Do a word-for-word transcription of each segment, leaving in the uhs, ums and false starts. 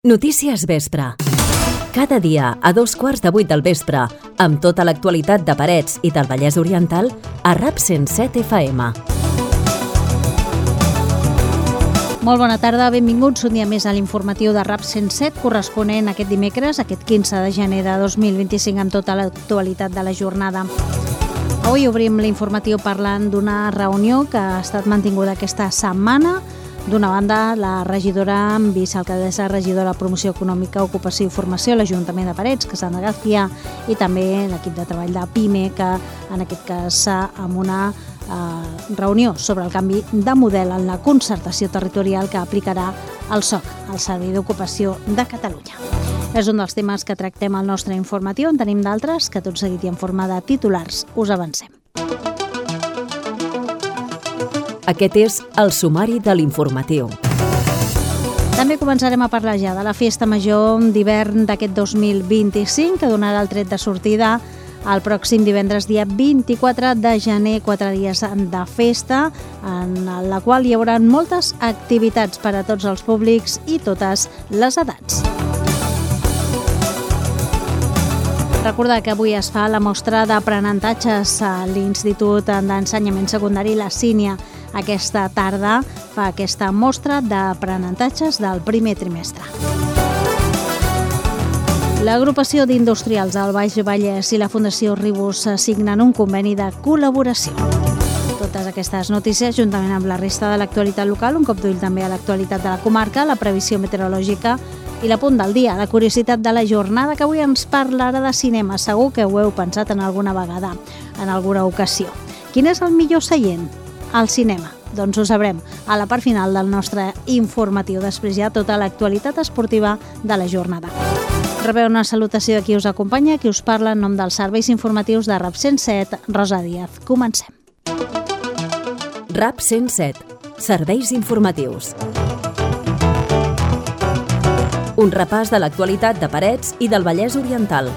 Notícies Vespre. Cada dia a dos quarts de vuit del vespre, amb tota l'actualitat de Parets i del Vallès Oriental, a RAP cent set F M. Molt bona tarda, benvinguts un dia més a l'informatiu de RAP cent set, corresponent aquest dimecres, aquest quinze de gener de dos mil vint-i-cinc, amb tota l'actualitat de la jornada. Avui obrim l'informatiu parlant d'una reunió que ha estat mantinguda aquesta setmana. D'una banda, la regidora, vicealcaldessa, regidora de Promoció Econòmica, Ocupació i Formació a l'Ajuntament de Parets, Cassandra García, i també l'equip de treball de PIME, que en aquest cas amb una eh, reunió sobre el canvi de model en la concertació territorial que aplicarà el S O C, el Servei d'Ocupació de Catalunya. És un dels temes que tractem al nostre informatiu. En tenim d'altres que tot seguit i en forma de titulars us avancem. Aquest és el sumari de l'informatiu. També començarem a parlar ja de la Festa Major d'hivern d'aquest dos mil vint-i-cinc, que donarà el tret de sortida el pròxim divendres, dia vint-i-quatre de gener, quatre dies de festa, en la qual hi haurà moltes activitats per a tots els públics i totes les edats. Recordar que avui es fa la mostra d'aprenentatges a l'Institut d'Ensenyament Secundari La Sínia. Aquesta tarda fa aquesta mostra d'aprenentatges del primer trimestre. L'agrupació d'industrials del Baix Vallès i la Fundació Ribus signen un conveni de col·laboració. Totes aquestes notícies, juntament amb la resta de l'actualitat local, un cop d'ull també a l'actualitat de la comarca, la previsió meteorològica i la punt del dia, la curiositat de la jornada, que avui ens parlarà de cinema. Segur que ho heu pensat en alguna vegada, en alguna ocasió. Quin és el millor seient? Al cinema. Doncs ho sabrem a la part final del nostre informatiu. Després ja tota l'actualitat esportiva de la jornada. Rebeu una salutació de qui us acompanya, qui us parla en nom dels serveis informatius de RAP cent set, Rosa Díaz. Comencem. RAP cent set. Serveis informatius. Un repàs de l'actualitat de Parets i del Vallès Oriental.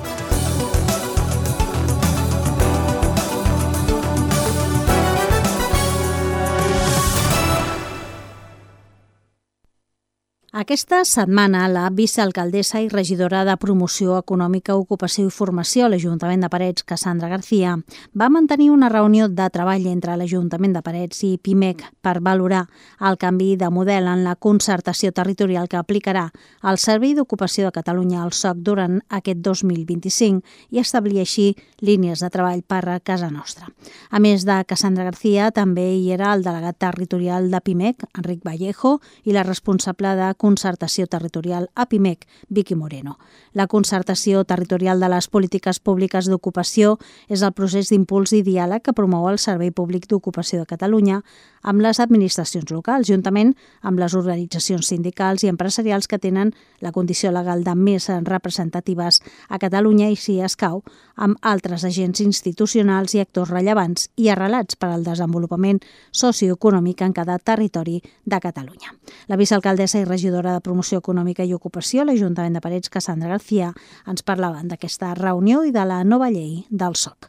Aquesta setmana, la vicealcaldessa i regidora de Promoció Econòmica, Ocupació i Formació a l'Ajuntament de Parets, Cassandra García, va mantenir una reunió de treball entre l'Ajuntament de Parets i PIMEC per valorar el canvi de model en la concertació territorial que aplicarà el Servei d'Ocupació de Catalunya al S O C durant aquest dos mil vint-i-cinc i establir així línies de treball per a casa nostra. A més de Cassandra García, també hi era el delegat territorial de PIMEC, Enric Vallejo, i la responsable de Concertació Territorial a PIMEC, Vicky Moreno. La concertació territorial de les polítiques públiques d'ocupació és el procés d'impuls i diàleg que promou el Servei Públic d'Ocupació de Catalunya amb les administracions locals, juntament amb les organitzacions sindicals i empresarials que tenen la condició legal de més representatives a Catalunya i, si escau, amb altres agents institucionals i actors rellevants i arrelats per al desenvolupament socioeconòmic en cada territori de Catalunya. La vicealcaldessa i regidora de Promoció Econòmica i Ocupació a l'Ajuntament de Parets, Cassandra García, ens parlaven d'aquesta reunió i de la nova llei del S O C.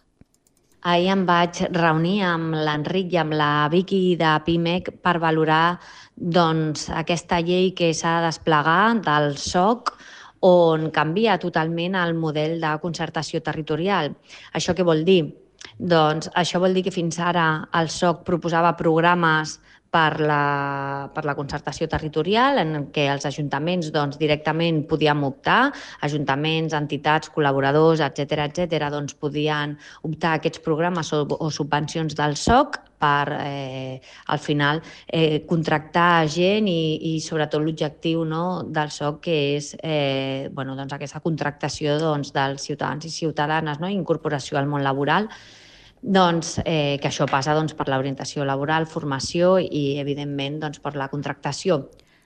Ahir em vaig reunir amb l'Enric i amb la Vicky de PIMEC per valorar doncs, aquesta llei que s'ha de desplegar del S O C, on canvia totalment el model de concertació territorial. Això què vol dir? Doncs això vol dir que fins ara el S O C proposava programes per la, per la concertació territorial, en què els ajuntaments doncs, directament podíem optar, ajuntaments, entitats, col·laboradors, etcètera, etcètera, doncs, podien optar a aquests programes o, o subvencions del S O C per, eh, al final, eh, contractar gent i, i sobretot l'objectiu, no, del S O C, que és eh, bueno, doncs, aquesta contractació doncs, dels ciutadans i ciutadanes, no, incorporació al món laboral. Doncs, eh, que això passa doncs, per l'orientació laboral, formació i, evidentment, doncs, per la contractació.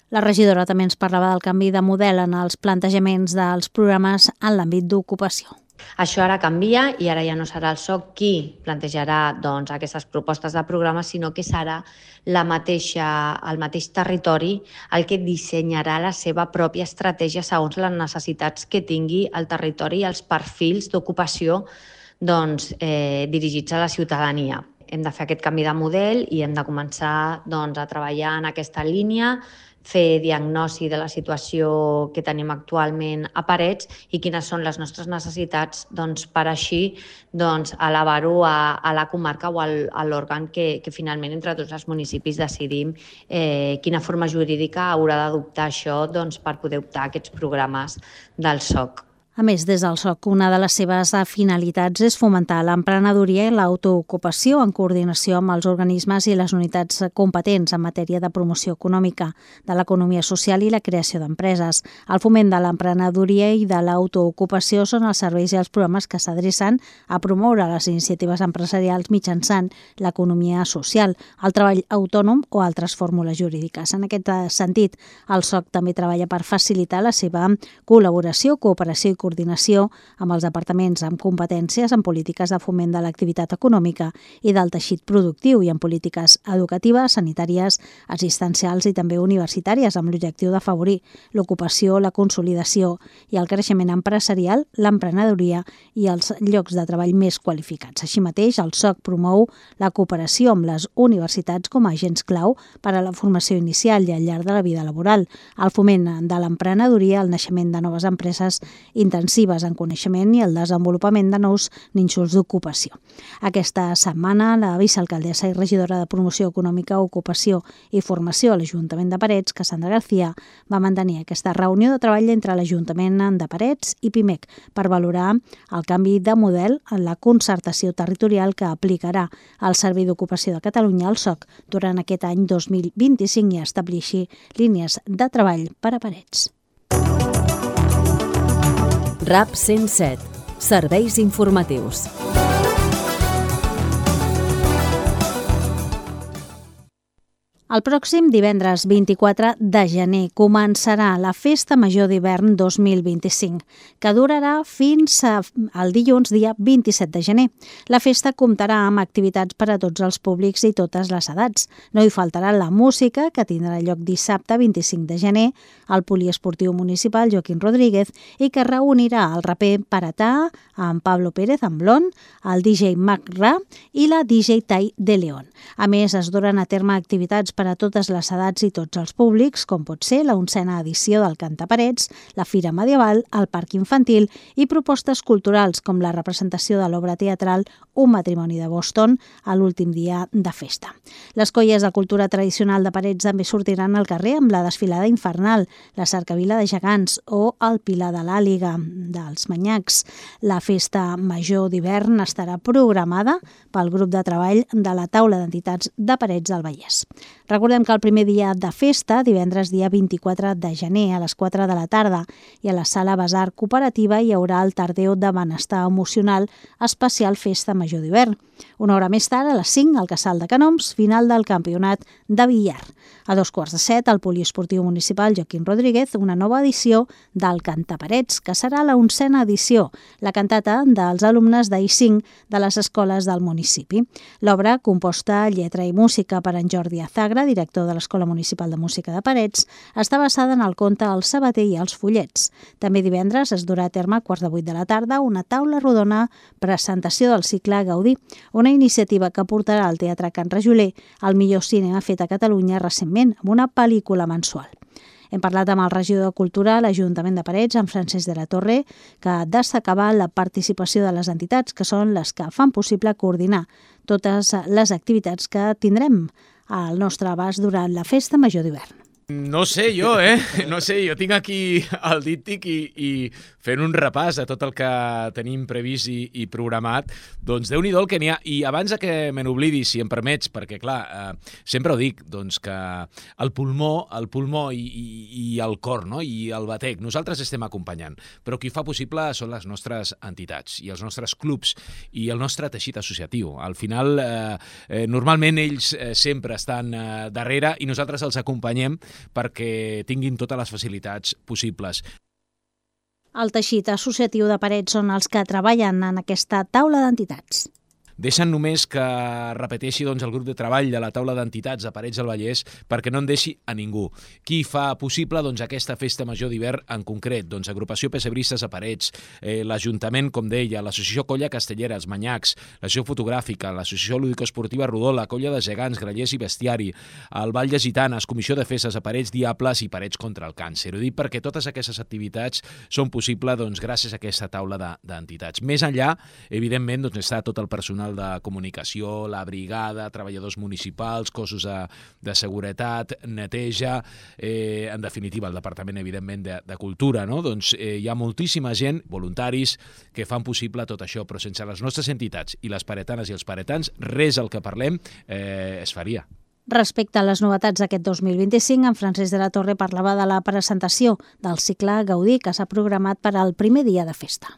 La regidora també ens parlava del canvi de model en els plantejaments dels programes en l'àmbit d'ocupació. Això ara canvia i ara ja no serà el S O C qui plantejarà doncs, aquestes propostes de programa, sinó que serà la mateixa, el mateix territori el que dissenyarà la seva pròpia estratègia segons les necessitats que tingui el territori i els perfils d'ocupació doncs, eh, dirigits a la ciutadania. Hem de fer aquest canvi de model i hem de començar doncs, a treballar en aquesta línia fer diagnosi de la situació que tenim actualment a Parets i quines són les nostres necessitats doncs, per així doncs, elevar-ho a, a la comarca o al, a l'òrgan que, que finalment entre tots els municipis decidim eh, quina forma jurídica haurà d'adoptar això doncs, per poder optar a aquests programes del S O C. A més, des del S O C, una de les seves finalitats és fomentar l'emprenedoria i l'autoocupació en coordinació amb els organismes i les unitats competents en matèria de promoció econòmica, de l'economia social i la creació d'empreses. El foment de l'emprenedoria i de l'autoocupació són els serveis i els programes que s'adrecen a promoure les iniciatives empresarials mitjançant l'economia social, el treball autònom o altres fórmules jurídiques. En aquest sentit, el S O C també treballa per facilitar la seva col·laboració, cooperació i coordinació amb els departaments amb competències en polítiques de foment de l'activitat econòmica i del teixit productiu i en polítiques educatives, sanitàries, assistencials i també universitàries amb l'objectiu d'afavorir l'ocupació, la consolidació i el creixement empresarial, l'emprenedoria i els llocs de treball més qualificats. Així mateix, el S O C promou la cooperació amb les universitats com a agents clau per a la formació inicial i al llarg de la vida laboral, el foment de l'emprenedoria, el naixement de noves empreses intensives en coneixement i el desenvolupament de nous nínxols d'ocupació. Aquesta setmana, la vicealcaldessa i regidora de Promoció Econòmica, Ocupació i Formació a l'Ajuntament de Parets, Cassandra García, va mantenir aquesta reunió de treball entre l'Ajuntament de Parets i PIMEC per valorar el canvi de model en la concertació territorial que aplicarà el Servei d'Ocupació de Catalunya al S O C durant aquest any dos mil vint-i-cinc i establir així línies de treball per a Parets. RAP cent set. Serveis informatius. El pròxim divendres vint-i-quatre de gener començarà la Festa Major d'Hivern dos mil vint-i-cinc, que durarà fins al dilluns dia vint-i-set de gener. La festa comptarà amb activitats per a tots els públics i totes les edats. No hi faltarà la música, que tindrà lloc dissabte vint-i-cinc de gener al Poliesportiu Municipal Joaquín Rodríguez i que reunirà el raper Paratà amb Pablo Pérez amb Blon, el D J Mac Ra i la D J Tai de León. A més, es duran a terme activitats per a totes les edats i tots els públics, com pot ser la onzena edició del Cantaparets, la Fira Medieval, el Parc Infantil i propostes culturals com la representació de l'obra teatral Un matrimoni de Boston a l'últim dia de festa. Les colles de cultura tradicional de Parets també sortiran al carrer amb la desfilada infernal, la cercavila de gegants o el Pilar de l'Àliga dels Manyacs. La Festa Major d'Hivern estarà programada pel grup de treball de la Taula d'Entitats de Parets del Vallès. Recordem que el primer dia de festa, divendres dia vint-i-quatre de gener a les quatre de la tarda i a la Sala Basar Cooperativa hi haurà el Tardeo de Benestar Emocional especial Festa Major d'Hivern. Una hora més tard, a les cinc, al Casal de Canoms, final del campionat de billar. A dos quarts de set, al Poliesportiu Municipal Joaquín Rodríguez, una nova edició del Cantaparets, que serà la onzena edició, la cantata dels alumnes d'A I cinc de les escoles del municipi. L'obra, composta a lletra i música per en Jordi Azagra, director de l'Escola Municipal de Música de Parets, està basada en el conte El sabater i els follets. També divendres es durà a terme a quarts de vuit de la tarda una taula rodona presentació del cicle Gaudí, una iniciativa que portarà al Teatre Can Rajoler el millor cinema fet a Catalunya recentment, amb una pel·lícula mensual. Hem parlat amb el regidor de Cultura a l'Ajuntament de Parets, en Francesc de la Torre, que destacava la participació de les entitats, que són les que fan possible coordinar totes les activitats que tindrem al nostre abast durant la Festa Major d'Hivern. No sé jo, eh? No sé, jo tinc aquí el díptic i, i fent un repàs a tot el que tenim previst i, i programat, doncs déu-n'hi-do el que n'hi ha. I abans que me n'oblidi, si em permets, perquè clar, eh, sempre ho dic, doncs que el pulmó, el pulmó i, i, i el cor, no? I el batec, nosaltres estem acompanyant, però qui fa possible són les nostres entitats i els nostres clubs i el nostre teixit associatiu. Al final, eh, eh, normalment ells eh, sempre estan eh, darrere i nosaltres els acompanyem perquè tinguin totes les facilitats possibles. El teixit associatiu de Parets són els que treballen en aquesta taula d'entitats. deixen només que repeteixi doncs, el grup de treball de la taula d'entitats de Parets del Vallès perquè no en deixi a ningú. Qui fa possible doncs, aquesta festa major d'hivern en concret? Doncs Agrupació Pessebristes a Parets, eh, l'Ajuntament, com deia, l'Associació Colla Castellera, els Manyacs, l'Associació Fotogràfica, l'Associació Lúdico-Esportiva Rodó, la Colla de Gegants, Grallers i Bestiari, el Ball de Gitanes, Comissió de Festes a Parets, Diables i Parets contra el Càncer. Ho dic perquè totes aquestes activitats són possibles doncs, gràcies a aquesta taula d'entitats. Més enllà, evidentment, doncs, està tot el personal de comunicació, la brigada, treballadors municipals, cossos de, de seguretat, neteja, eh, en definitiva, el Departament, evidentment, de, de Cultura, no? Doncs eh, hi ha moltíssima gent, voluntaris, que fan possible tot això, però sense les nostres entitats i les paretanes i els paretans, res al que parlem eh, es faria. Respecte a les novetats d'aquest dos mil vint-i-cinc, en Francesc de la Torre parlava de la presentació del cicle Gaudí que s'ha programat per al primer dia de festa.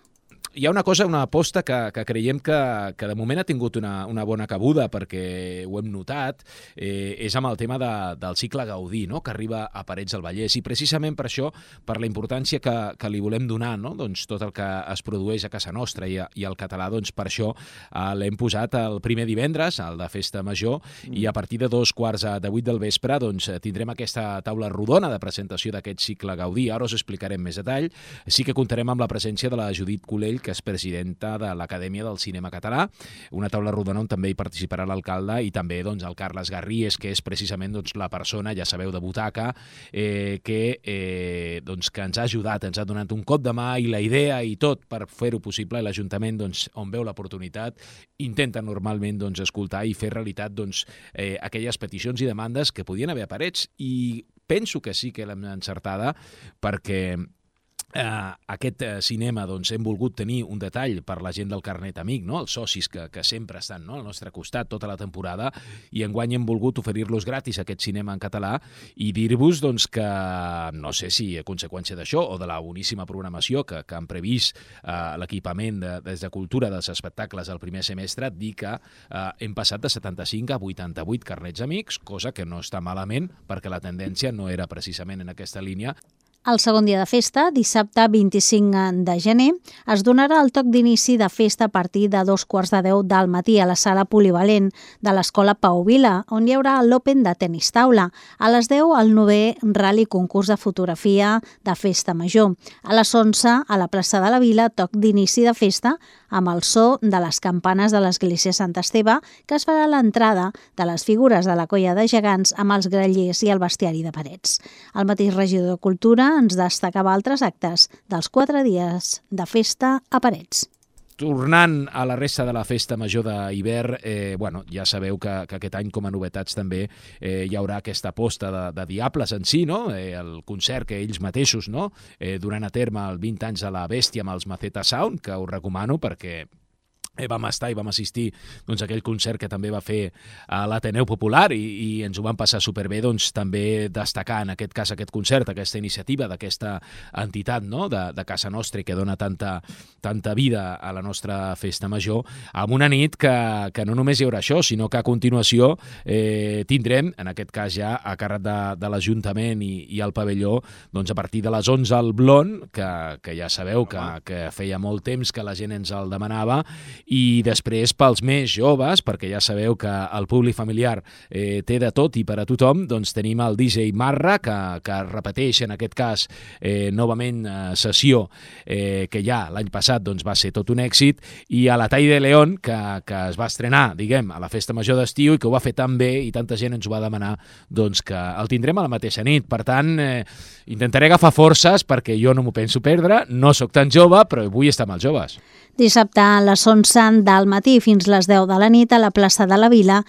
Hi ha una cosa, una aposta que, que creiem que, que de moment ha tingut una, una bona cabuda perquè ho hem notat, eh, és amb el tema de, del cicle Gaudí, no? Que arriba a Parets del Vallès, i precisament per això, per la importància que, que li volem donar, no? Doncs tot el que es produeix a casa nostra i, a, i al català, doncs per això eh, l'hem posat el primer divendres, el de Festa Major, mm. i a partir de dos quarts de vuit del vespre doncs, tindrem aquesta taula rodona de presentació d'aquest cicle Gaudí. Ara us explicarem més detall. Sí que comptarem amb la presència de la Judit Colell, que és presidenta de l'Acadèmia del Cinema Català, una taula rodona on també hi participarà l'alcalde i també doncs, el Carles Garries, que és precisament doncs, la persona, ja sabeu, de butaca, eh, que, eh, doncs, que ens ha ajudat, ens ha donat un cop de mà i la idea i tot per fer-ho possible. L'Ajuntament, doncs, on veu l'oportunitat, intenta normalment doncs, escoltar i fer realitat doncs, eh, aquelles peticions i demandes que podien haver a Parets, i penso que sí que l'hem encertada perquè Uh, aquest uh, cinema doncs, hem volgut tenir un detall per la gent del carnet amic, no? Els socis que, que sempre estan, no? Al nostre costat tota la temporada, i enguany hem volgut oferir-los gratis aquest cinema en català i dir-vos doncs, que no sé si a conseqüència d'això o de la boníssima programació que, que han previst uh, l'equipament de, des de Cultura dels espectacles al primer semestre, dir que uh, hem passat de setanta-cinc a vuitanta-vuit carnets amics, cosa que no està malament perquè la tendència no era precisament en aquesta línia. El segon dia de festa, dissabte vint-i-cinc de gener, es donarà el toc d'inici de festa a partir de dos quarts de deu del matí a la sala polivalent de l'Escola Pau Vila, on hi haurà l'Open de tenis taula. A les deu, el novè Rally Concurs de Fotografia de Festa Major. A les onze, a la plaça de la Vila, toc d'inici de festa amb el so de les campanes de l'església Sant Esteve, que es farà l'entrada de les figures de la Colla de Gegants amb els grallers i el bestiari de Parets. El mateix regidor de Cultura ens destacava altres actes dels quatre dies de festa a Parets. Tornant a la resta de la festa major d'hivern, eh, bueno, ja sabeu que, que aquest any com a novetats també eh, hi haurà aquesta aposta de, de Diables en si, no? Eh, el concert que ells mateixos no? eh, duran a terme el vint anys de la Bèstia amb els Maceta Sound, que us recomano perquè vam estar i vam assistir doncs, a aquell concert que també va fer a l'Ateneu Popular i, i ens ho vam passar superbé, doncs també destacar en aquest cas aquest concert, aquesta iniciativa d'aquesta entitat no? de, de casa nostra que dona tanta, tanta vida a la nostra festa major, amb una nit que, que no només hi haurà això, sinó que a continuació eh, tindrem, en aquest cas ja a càrrec de, de l'Ajuntament i, i el pavelló, doncs a partir de les onze al Blon, que, que ja sabeu que, que feia molt temps que la gent ens el demanava, i després pels més joves, perquè ja sabeu que el públic familiar eh, té de tot i per a tothom, doncs tenim el D J Marra, que, que repeteix en aquest cas eh, novament eh, sessió eh, que ja l'any passat doncs, va ser tot un èxit, i a la Tall de León, que, que es va estrenar, diguem, a la festa major d'estiu i que ho va fer tan bé i tanta gent ens ho va demanar, doncs que el tindrem a la mateixa nit. Per tant, eh, intentaré agafar forces perquè jo no m'ho penso perdre, no sóc tan jove, però vull estar amb els joves. Dissabte a les onze del matí fins les deu de la nit a la plaça de la Vila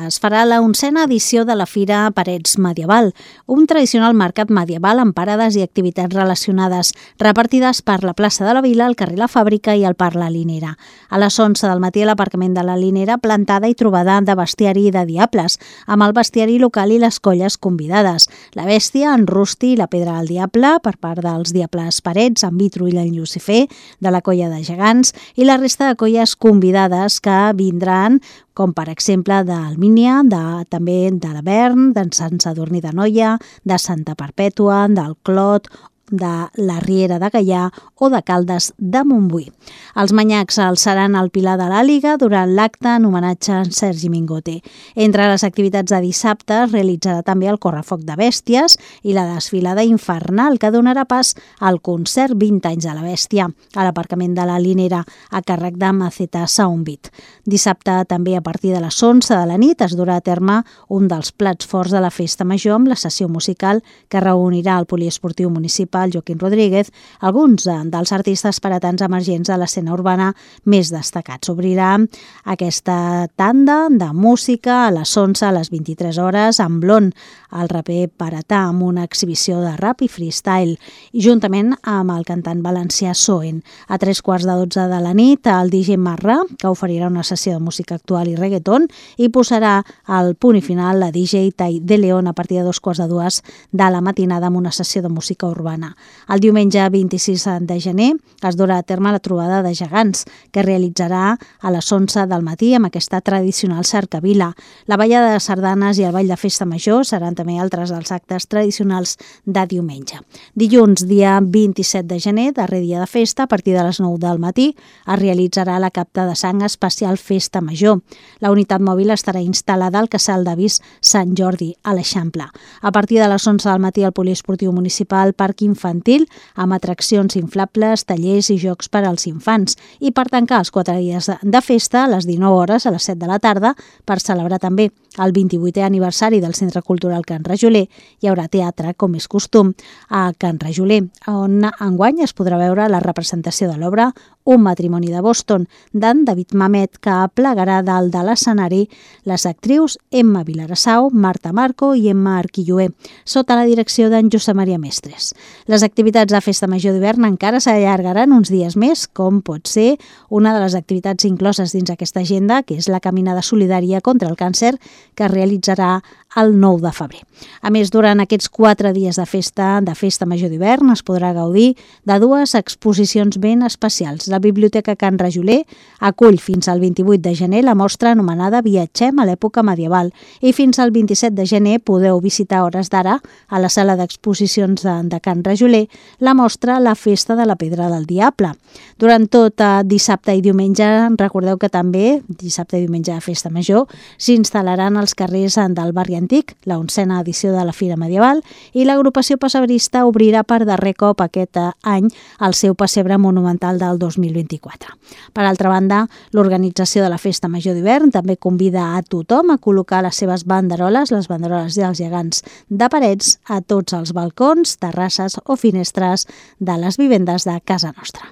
es farà la onzena edició de la Fira Parets Medieval, un tradicional mercat medieval amb parades i activitats relacionades repartides per la plaça de la Vila, el carrer La Fàbrica i el Parc La Linera. A les onze del matí a l'aparcament de la Linera, plantada i trobada de bestiari i de diables, amb el bestiari local i les colles convidades. La Bèstia, en Rusti i la Pedra del Diable, per part dels Diables Parets, en Vitru i en Llucifer, de la Colla de Gegants, i la resta de colles convidades que vindran, com per exemple d'Almínia, de, també de la Bern, d'en Sant Sadurní d'Anoia, de Santa Perpètua, del Clot, de la Riera de Gaià o de Caldes de Montbui. Els manyacs alçaran el pilar de l'Àliga durant l'acte en homenatge a Sergi Mingote. Entre les activitats de dissabte es realitzarà també el correfoc de bèsties i la desfilada infernal que donarà pas al concert vint anys de la bèstia a l'aparcament de la Linera a càrrec de Maceta Soundbeat. Dissabte també a partir de les onze de la nit es durà a terme un dels plats forts de la festa major amb la sessió musical que reunirà al poliesportiu municipal Joaquim Rodríguez alguns dels artistes paratans emergents de l'escena urbana més destacats. Obrirà aquesta tanda de música a les onze a les vint-i-tres hores amb Blon, el raper paratà, amb una exhibició de rap i freestyle, i juntament amb el cantant valencià Soen. A tres quarts de dotze de la nit, el D J Marrà, que oferirà una sessió de música actual i reggaeton, i posarà al punt i final la D J Tai de León a partir de dos quarts de dues de la matinada amb una sessió de música urbana. El diumenge vint-i-sis de gener es durà a terme la trobada de gegants, que realitzarà a les onze del matí amb aquesta tradicional cercavila. La ballada de sardanes i el ball de festa major seran també altres dels actes tradicionals de diumenge. Dilluns, dia vint-i-set de gener, darrer dia de festa, a partir de les nou del matí, es realitzarà la capta de sang especial Festa Major. La unitat mòbil estarà instal·lada al casal d'Avis Sant Jordi, a l'Eixample. A partir de les onze del matí, al poliesportiu municipal Parc Infantil, amb atraccions inflables, tallers i jocs per als infants. I per tancar els quatre dies de festa, a les dinou hores, a les set de la tarda, per celebrar també el vint-i-vuitè aniversari del Centre Cultural Can Rajoler, hi haurà teatre, com és costum, a Can Rajoler, on enguany es podrà veure la representació de l'obra Un matrimoni de Boston, d'en David Mamet, que aplegarà dalt de l'escenari les actrius Emma Vilarassau, Marta Marco i Emma Arquilloé, sota la direcció d'en Josep Maria Mestres. Les activitats de Festa Major d'hivern encara s'allargaran uns dies més, com pot ser una de les activitats incloses dins aquesta agenda, que és la caminada solidària contra el càncer, que es realitzarà el nou de febrer. A més, durant aquests quatre dies de festa de Festa Major d'hivern es podrà gaudir de dues exposicions ben especials. La Biblioteca Can Rajoler acull fins al vint-i-vuit de gener la mostra anomenada Viatgem a l'època medieval i fins al vint-i-set de gener podeu visitar a hores d'ara a la sala d'exposicions de, de Can Rajoler la mostra La Festa de la Pedra del Diable. Durant tot eh, dissabte i diumenge, recordeu que també, dissabte i diumenge de Festa Major, s'instal·laran als carrers del barri Antic, la onzena edició de la Fira Medieval, i l'agrupació pessebrista obrirà per darrer cop aquest any el seu pessebre monumental del dos mil vint-i-quatre. Per altra banda, l'organització de la Festa Major d'hivern també convida a tothom a col·locar les seves banderoles, les banderoles dels gegants de Parets, a tots els balcons, terrasses o finestres de les vivendes de casa nostra.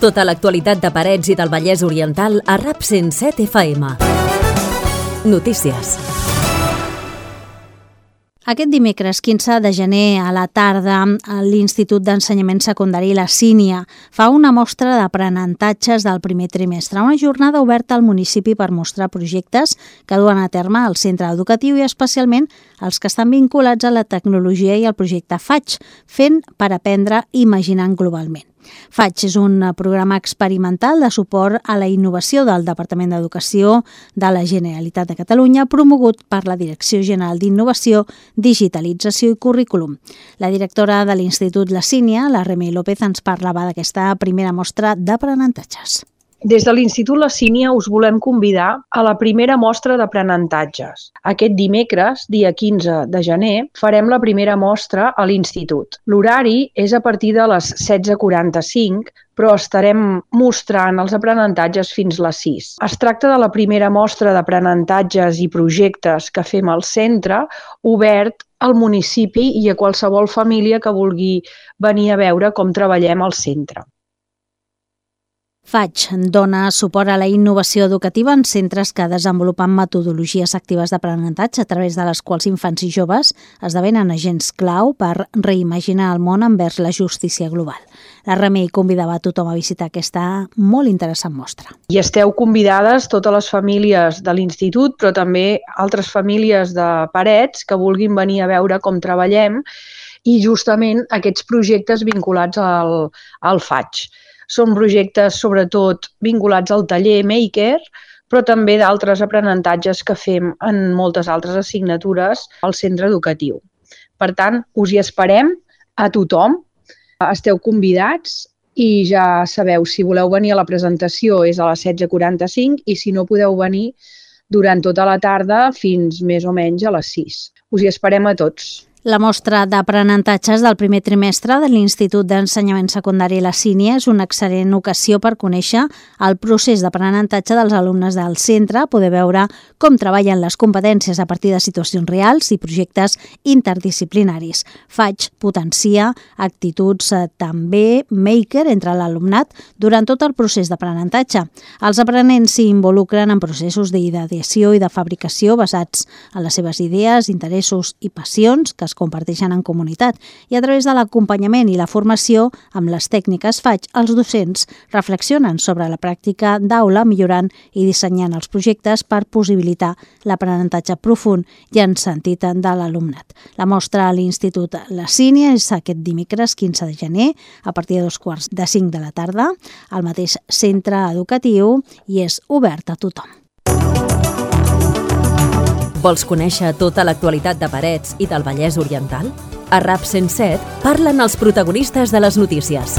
Tota l'actualitat de Parets i del Vallès Oriental a RAP cent set F M. Notícies. Aquest dimecres quinze de gener a la tarda, l'Institut d'Ensenyament Secundari La Sínia fa una mostra d'aprenentatges del primer trimestre, una jornada oberta al municipi per mostrar projectes que duen a terme al centre educatiu i especialment els que estan vinculats a la tecnologia i al projecte Faig, fent per aprendre imaginant globalment. Faig és un programa experimental de suport a la innovació del Departament d'Educació de la Generalitat de Catalunya, promogut per la Direcció General d'Innovació, Digitalització i Currículum. La directora de l'Institut La Sínia, la Remei López, ens parlava d'aquesta primera mostra d'aprenentatges. Des de l'Institut La Sínia us volem convidar a la primera mostra d'aprenentatges. Aquest dimecres, dia quinze de gener, farem la primera mostra a l'Institut. L'horari és a partir de les setze quaranta-cinc, però estarem mostrant els aprenentatges fins les sis. Es tracta de la primera mostra d'aprenentatges i projectes que fem al centre, obert al municipi i a qualsevol família que vulgui venir a veure com treballem al centre. Faig dona suport a la innovació educativa en centres que desenvolupen metodologies actives d'aprenentatge a través de les quals infants i joves esdevenen agents clau per reimaginar el món envers la justícia global. La Remei convidava a tothom a visitar aquesta molt interessant mostra. I esteu convidades totes les famílies de l'Institut, però també altres famílies de Parets que vulguin venir a veure com treballem i justament aquests projectes vinculats al, al Faig. Són projectes sobretot vinculats al taller Maker, però també d'altres aprenentatges que fem en moltes altres assignatures al centre educatiu. Per tant, us hi esperem a tothom. Esteu convidats i ja sabeu, si voleu venir a la presentació és a les setze quaranta-cinc i si no podeu venir durant tota la tarda fins més o menys a les sis. Us hi esperem a tots. La mostra d'aprenentatges del primer trimestre de l'Institut d'Ensenyament Secundari La Sínia és una excel·lent ocasió per conèixer el procés d'aprenentatge dels alumnes del centre, poder veure com treballen les competències a partir de situacions reals i projectes interdisciplinaris. Faig, potencia, actituds també maker entre l'alumnat durant tot el procés d'aprenentatge. Els aprenents s'hi involucren en processos d'ideació i de fabricació basats en les seves idees, interessos i passions que es comparteixen en comunitat i a través de l'acompanyament i la formació amb les tècniques Faig, els docents reflexionen sobre la pràctica d'aula millorant i dissenyant els projectes per possibilitar l'aprenentatge profund i en sentit de l'alumnat. La mostra a l'Institut La Sínia és aquest dimecres quinze de gener a partir de dos quarts de cinc de la tarda al mateix centre educatiu i és obert a tothom. Vols conèixer tota l'actualitat de Parets i del Vallès Oriental? A RAP cent set parlen els protagonistes de les notícies.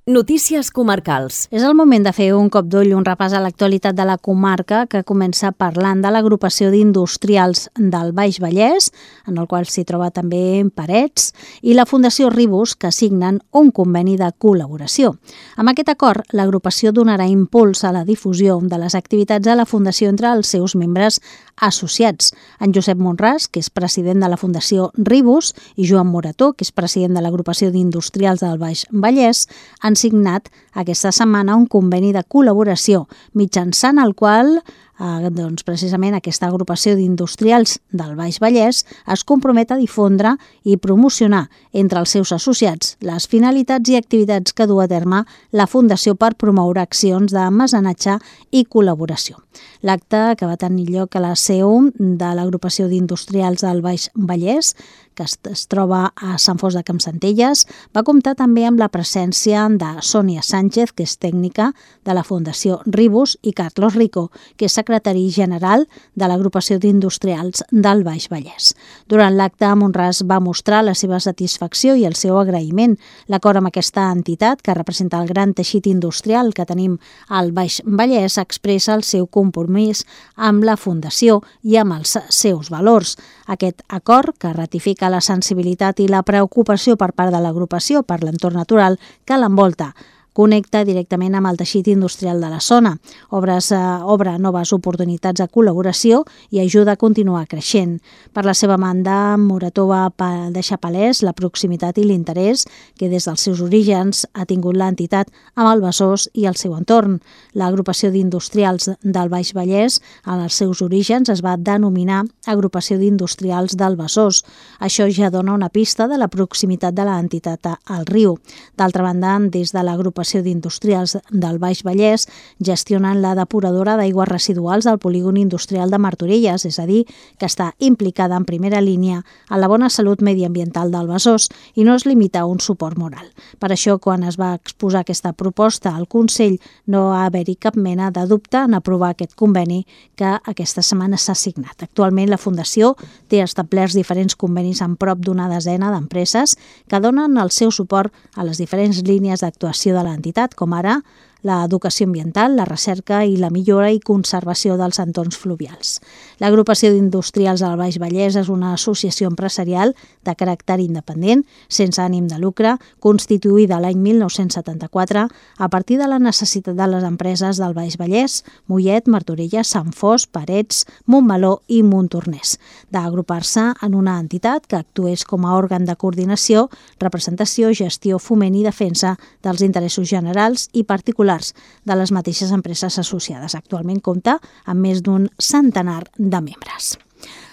Notícies comarcals. És el moment de fer un cop d'ull, un repàs a l'actualitat de la comarca que comença parlant de l'agrupació d'industrials del Baix Vallès, en el qual s'hi troba també Parets, i la Fundació Ribus, que signen un conveni de col·laboració. Amb aquest acord, l'agrupació donarà impuls a la difusió de les activitats de la Fundació entre els seus membres associats. En Josep Monràs, que és president de la Fundació Ribus, i Joan Morató, que és president de l'agrupació d'industrials del Baix Vallès, han signat aquesta setmana un conveni de col·laboració mitjançant el qual eh, doncs, precisament aquesta agrupació d'industrials del Baix Vallès es compromet a difondre i promocionar entre els seus associats les finalitats i activitats que du a terme la Fundació per promoure accions de mecenatge i col·laboració. L'acte, que va tenir lloc a la seu de l'agrupació d'industrials del Baix Vallès, que es troba a Sant Fost de Campsentelles, va comptar també amb la presència de Sònia Sánchez, que és tècnica de la Fundació Ribus, i Carlos Rico, que és secretari general de l'agrupació d'industrials del Baix Vallès. Durant l'acte, Monràs va mostrar la seva satisfacció i el seu agraïment. L'acord amb aquesta entitat, que representa el gran teixit industrial que tenim al Baix Vallès, expressa el seu compromís amb la Fundació i amb els seus valors. Aquest acord, que ratifica la sensibilitat i la preocupació per part de l'agrupació per l'entorn natural que l'envolta, connecta directament amb el teixit industrial de la zona, obres, eh, obre noves oportunitats de col·laboració i ajuda a continuar creixent. Per la seva banda, Morató va deixar palès la proximitat i l'interès que des dels seus orígens ha tingut l'entitat amb el Besòs i el seu entorn. L'agrupació d'industrials del Baix Vallès, en els seus orígens, es va denominar Agrupació d'Industrials del Besòs. Això ja dona una pista de la proximitat de l'entitat al riu. D'altra banda, des de l'agrupació d'industrials del Baix Vallès gestionen la depuradora d'aigües residuals del polígon industrial de Martorelles, és a dir, que està implicada en primera línia en la bona salut mediambiental del Besòs i no es limita a un suport moral. Per això, quan es va exposar aquesta proposta al Consell, no va haver-hi cap mena de dubte en aprovar aquest conveni que aquesta setmana s'ha signat. Actualment, la Fundació té establerts diferents convenis amb prop d'una desena d'empreses que donen el seu suport a les diferents línies d'actuació de l'entitat, com ara l'educació ambiental, la recerca i la millora i conservació dels entorns fluvials. L'agrupació d'industrials del Baix Vallès és una associació empresarial de caràcter independent, sense ànim de lucre, constituïda l'any mil nou-cents setanta-quatre a partir de la necessitat de les empreses del Baix Vallès, Mollet, Martorelles, Sant Fost, Parets, Montmeló i Montornès, d'agrupar-se en una entitat que actués com a òrgan de coordinació, representació, gestió, foment i defensa dels interessos generals i particulars de les mateixes empreses associades. Actualment compta amb més d'un centenar de membres.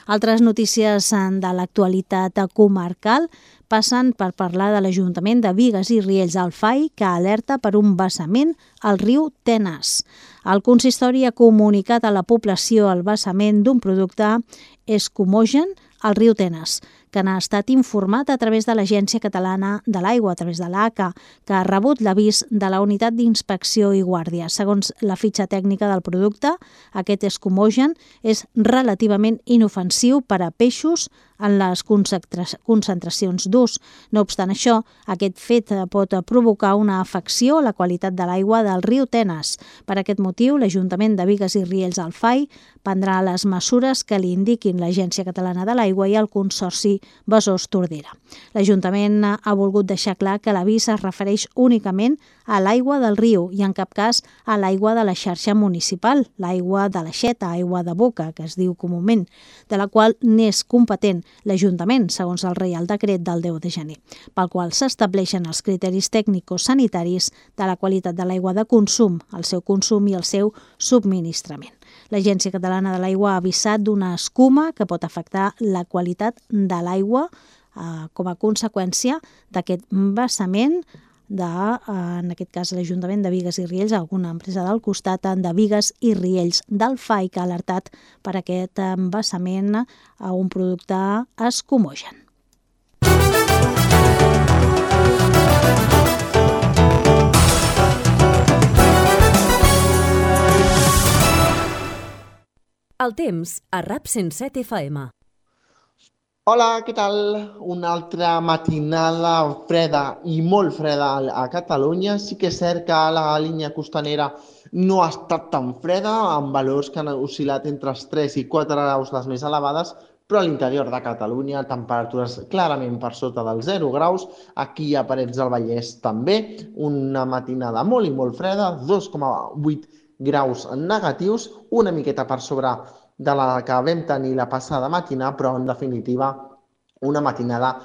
Altres notícies de l'actualitat comarcal passen per parlar de l'Ajuntament de Bigues i Riells del Fai, que alerta per un vessament al riu Tenes. El consistori ha comunicat a la població el vessament d'un producte escumogen al riu Tenes, que n'ha estat informat a través de l'Agència Catalana de l'Aigua, a través de l'A C A, que ha rebut l'avís de la Unitat d'Inspecció i Guàrdia. Segons la fitxa tècnica del producte, aquest escumogen és relativament inofensiu per a peixos en les concentracions d'ús. No obstant això, aquest fet pot provocar una afecció a la qualitat de l'aigua del riu Tenes. Per aquest motiu, l'Ajuntament de Bigues i Riells al F A I prendrà les mesures que li indiquin l'Agència Catalana de l'Aigua i el Consorci Besòs-Tordera. L'Ajuntament ha volgut deixar clar que l'avís es refereix únicament a l'aigua del riu i en cap cas a l'aigua de la xarxa municipal, l'aigua de l'aixeta, aigua de boca, que es diu comúment, de la qual n'és competent l'Ajuntament, segons el Reial Decret del deu de gener, pel qual s'estableixen els criteris tècnico-sanitaris de la qualitat de l'aigua de consum, el seu consum i el seu subministrament. L'Agència Catalana de l'Aigua ha avisat d'una escuma que pot afectar la qualitat de l'aigua eh, com a conseqüència d'aquest vessament de, en aquest cas, l'Ajuntament de Bigues i Riells, alguna empresa del costat de Bigues i Riells del F A I, que ha alertat per aquest embassament a un producte escumogen. El temps a RAP cent set F M. Hola, què tal? Una altra matinada freda i molt freda a Catalunya. Sí que és cert que la línia costanera no ha estat tan freda, amb valors que han oscil·lat entre els tres i quatre graus les més elevades, però a l'interior de Catalunya temperatures clarament per sota dels zero graus. Aquí a Parets del Vallès també, una matinada molt i molt freda, dos coma vuit graus negatius, una miqueta per sobre de la que vam tenir la passada matina, però en definitiva una matinada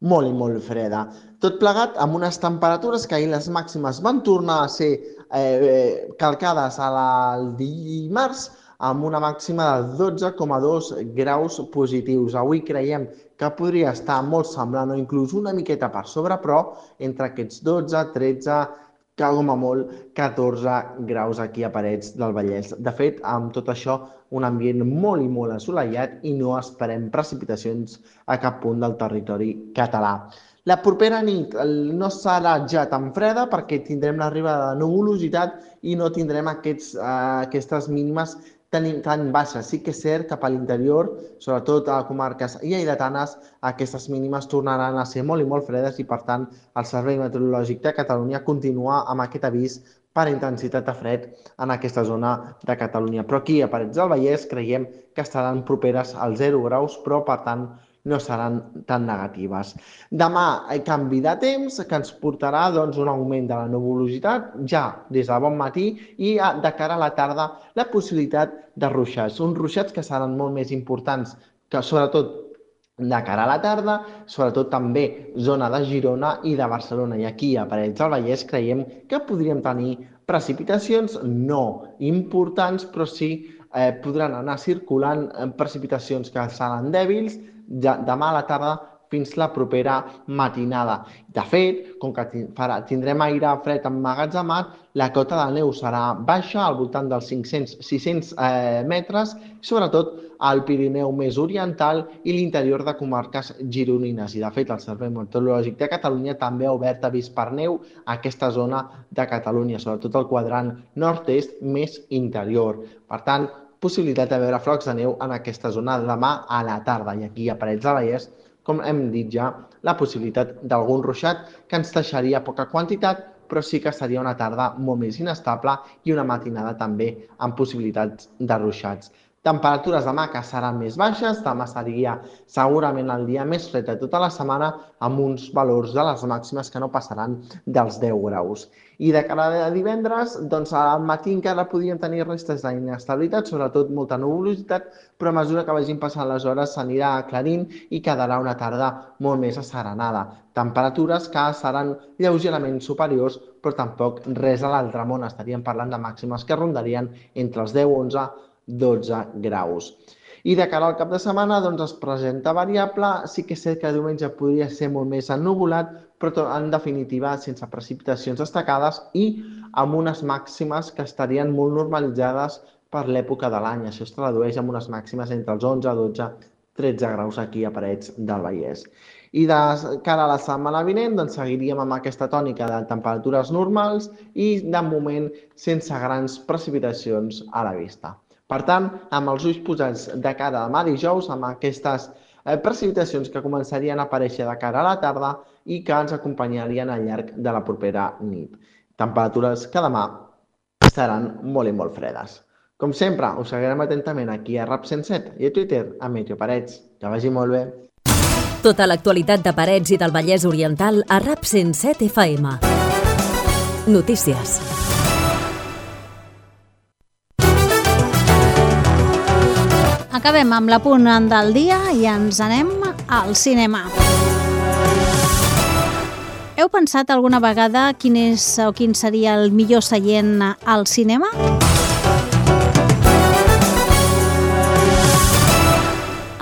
molt i molt freda. Tot plegat amb unes temperatures que ahir les màximes van tornar a ser eh, calcades al dimarts, amb una màxima de dotze coma dos graus positius. Avui creiem que podria estar molt semblant o inclús una miqueta per sobre, però entre aquests dotze, tretze, que com a molt catorze graus aquí a Parets del Vallès. De fet, amb tot això, un ambient molt i molt assolellat i no esperem precipitacions a cap punt del territori català. La propera nit no serà ja tan freda perquè tindrem l'arribada de nuvolositat i no tindrem aquests, eh, aquestes mínimes tan, tan baixes. Sí que és cert que per l'interior, sobretot a comarques lleidatanes, aquestes mínimes tornaran a ser molt i molt fredes i, per tant, el Servei Meteorològic de Catalunya continua amb aquest avís per intensitat de fred en aquesta zona de Catalunya. Però aquí, a Parets del Vallès, creiem que estaran properes als zero graus, però, per tant, no seran tan negatives. Demà, canvi de temps que ens portarà doncs, un augment de la nuvolositat ja des de bon matí i de cara a la tarda la possibilitat de ruixats. Uns ruixats que seran molt més importants, que sobretot de cara a la tarda, sobretot també zona de Girona i de Barcelona. I aquí, a Parets del Vallès, creiem que podríem tenir precipitacions no importants, però sí eh, podran anar circulant precipitacions que seran dèbils demà a la tarda fins la propera matinada. De fet, com que tindrem aire fred emmagatzemat, la cota de neu serà baixa, al voltant dels cinc-cents a sis-cents eh, metres, sobretot al Pirineu més oriental i l'interior de comarques gironines. I de fet, el Servei Meteorològic de Catalunya també ha obert avís per neu a aquesta zona de Catalunya, sobretot el quadrant nord-est més interior. Per tant, possibilitat de veure flocs de neu en aquesta zona demà a la tarda. I aquí a Parets del Vallès, com hem dit ja, la possibilitat d'algun ruixat que ens deixaria poca quantitat, però sí que seria una tarda molt més inestable i una matinada també amb possibilitats de ruixats. Temperatures demà que seran més baixes, demà seria segurament el dia més fred de tota la setmana amb uns valors de les màximes que no passaran dels deu graus. I de cara a divendres, doncs al matí encara podríem tenir restes d'inestabilitat, sobretot molta nuvolositat, però a mesura que vagin passant les hores s'anirà aclarint i quedarà una tarda molt més asserenada. Temperatures que seran lleugerament superiors, però tampoc res a l'altre món. Estaríem parlant de màximes que rondarien entre els deu, onze, dotze graus. I de cara al cap de setmana doncs es presenta variable, sí que és cert que diumenge podria ser molt més ennuvolat, però en definitiva sense precipitacions destacades i amb unes màximes que estarien molt normalitzades per l'època de l'any. Això es tradueix en unes màximes entre els onze, dotze, tretze graus aquí a Parets del Vallès. I de cara a la setmana vinent doncs, seguiríem amb aquesta tònica de temperatures normals i, de moment, sense grans precipitacions a la vista. Per tant, amb els ulls posats de cara a demà dijous, amb aquestes eh, precipitacions que començarien a aparèixer de cara a la tarda i que ens acompanyarien al llarg de la propera nit. Temperatures que demà seran molt i molt fredes. Com sempre, us seguirem atentament aquí a Rap cent set i a Twitter a Meteo Parets. Que vagi molt bé. Tota l'actualitat de Parets i del Vallès Oriental a Rap cent set F M. Notícies. Acabem amb l'apunt del dia i ens anem al cinema. Heu pensat alguna vegada quin és o quin seria el millor seient al cinema?